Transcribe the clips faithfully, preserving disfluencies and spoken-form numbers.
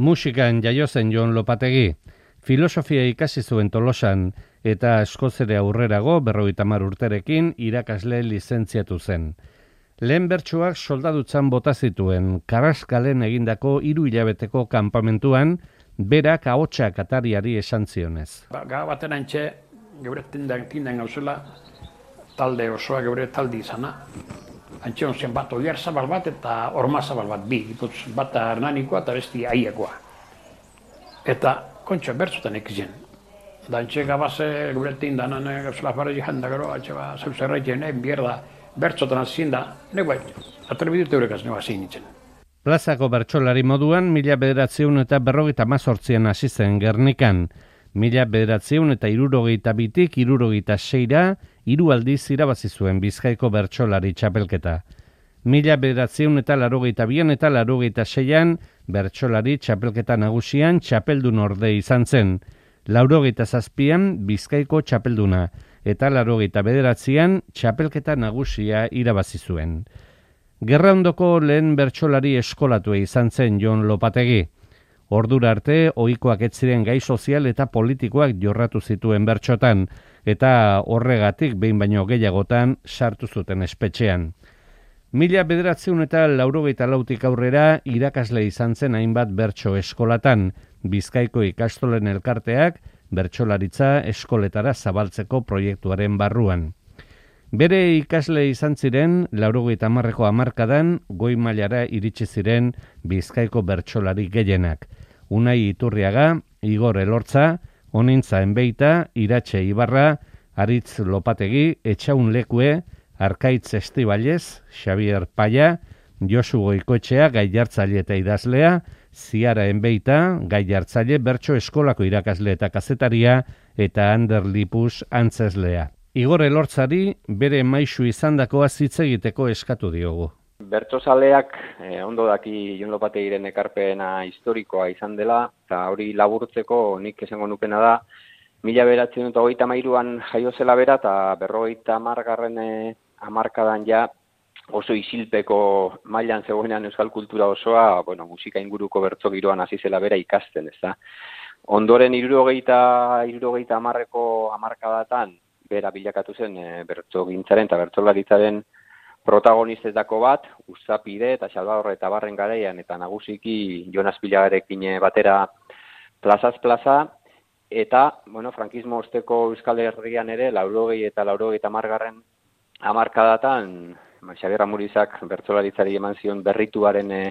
Musikan jaio zen Jon Lopategi, filosofia ikasi zuen Tolosan eta Eskozera aurrerago berrogeita hamar urterekin irakasle lizentziatu zen. Lehen bertsuak soldadutzan bota zituen, Karraskalen egindako hiru hilabeteko kanpamentuan, berak ahotsak atariari esan zionez. Ba, Ga baten antxe, geure tindan tindan gauzela, talde osoa geure talde izana. Antxe onzen bat oiar zabal bat eta orma zabal bat, bi, iputz, bat hernanikoa eta besti aiakoa. Eta kontxo bertzotan ekizien. Da antxe gabaze geure tindanan gauzela farri janda gero, antxe ba, zeuzerraiten, egin bierda, bertzotan azien da, nego bai, atrebidut eurekaz nego azien nintzen. Plazako bertsolari moduan, mila bederatziehun eta berrogeita hamazortzian hasi zen Gernikan. Mila bederatziehun eta hirurogeita bitik hirurogeita seira, hiru aldiz irabazi zuen Bizkaiko bertsolari txapelketa. Mila bederatziehun eta laurogeita bian eta laurogeita seian, bertsolari txapelketa nagusian txapeldun orde izan zen. Laurogeita zazpian Bizkaiko txapelduna, eta laurogeita bederatzian txapelketa nagusia irabazi zuen. Gerraondoko lehen bertsolari eskolatua izan zen Jon Lopategi. Ordura arte, ohikoak ez ziren gai sozial eta politikoak jorratu zituen bertsotan, eta horregatik behin baino gehiagotan sartu zuten espetxean. Mila bederatziehun eta laurogeita lautik aurrera irakasle izan zen hainbat bertso eskolatan, Bizkaiko ikastolen elkarteak bertsolaritza eskoletara zabaltzeko proiektuaren barruan. Bere ikasle izan ziren, laurogeita hamarreko hamarkadan, goi mailara iritsi ziren Bizkaiko bertsolari gehienak. Unai Iturriaga, Igor Elortza, Onintza Enbeita, Iratxe Ibarra, Aritz Lopategi, Etxaun Lekue, Arkaitz Estibalez, Xavier Paya, Josu Goikoetxea, gai jartzaile eta idazlea, Ziara Enbeita, gai jartzaile, bertso eskolako irakasle eta kazetaria, eta Ander Lipus antzeslea. Igor Elortzari bere maisu izandakoa hitz egiteko eskatu diogu. Bertsozaleak eh, ondo daki Jon Lopategiren ekarpena historikoa izan dela, eta hori laburtzeko nik esango nukena da, mila bederatziehun eta hogeita hamairuan jaio zela bera, eta berrogeita hamargarren eh, hamarkadan ja oso isilpeko mailan zegoenean euskal kultura osoa, bueno, musika inguruko bertso giroan hasi zela bera ikasten, ezta. Ondoren hirurogeita hirurogeita hamarreko hamarkadatan bera bilakatu zen e, bertsogintzaren eta bertsolaritzaren protagonistetako bat, Uzapide eta Salvador eta Barren garaian eta nagusiki Jonas Pilagarekin batera plazaz plaza, eta bueno, frankismo osteko Euskal Herrian ere laurogei eta laurogeita hamargarren hamarkadatan Xabier Amurizak bertsolaritzari eman zion berrituaren e,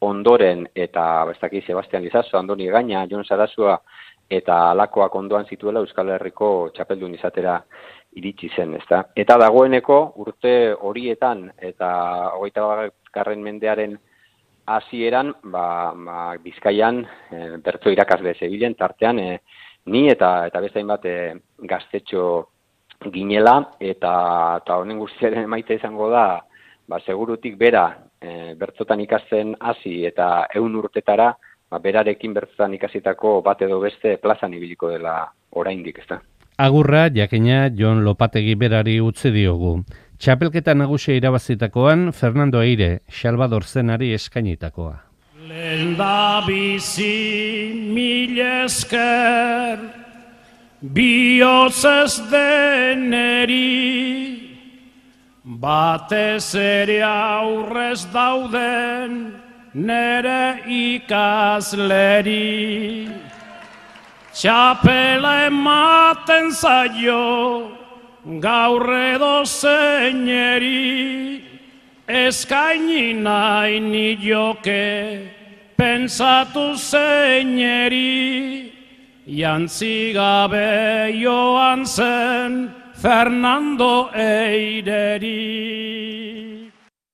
ondoren eta bestaki Sebastian Lizaso, Andoni Egaña, Jon Sarasua eta alakoak ondoan zituela Euskal Herriko txapeldun izatera iritsi zen, ezta. Eta dagoeneko urte horietan eta hogeita garren mendearen hasieran, ba, ba Bizkaian e, bertso irakasle zebilen tartean e, ni eta eta beste hainbat e, gaztetxo ginela eta eta honen guztiaren emaitza izango da, ba segurutik bera e, bertsotan ikasten hasi eta ehun urtetara, ba, berarekin bertsotan ikasitako bat edo beste plazan ibiliko dela oraindik, ezta. Agurra, jakina Jon Lopategi berari utzi diogu. Txapelketa nagusia irabazitakoan, Fernando Eire, Salvador Zenari eskainitakoa. Lenda bizi mil esker, bihotz ez deneri, batez ere aurrez dauden nere ikasleri. Txapela ematen zaio gaur edo zeineri, eskaini nahi nioke pentsatu zeineri, jantzi gabe joan zen Fernando Eireri.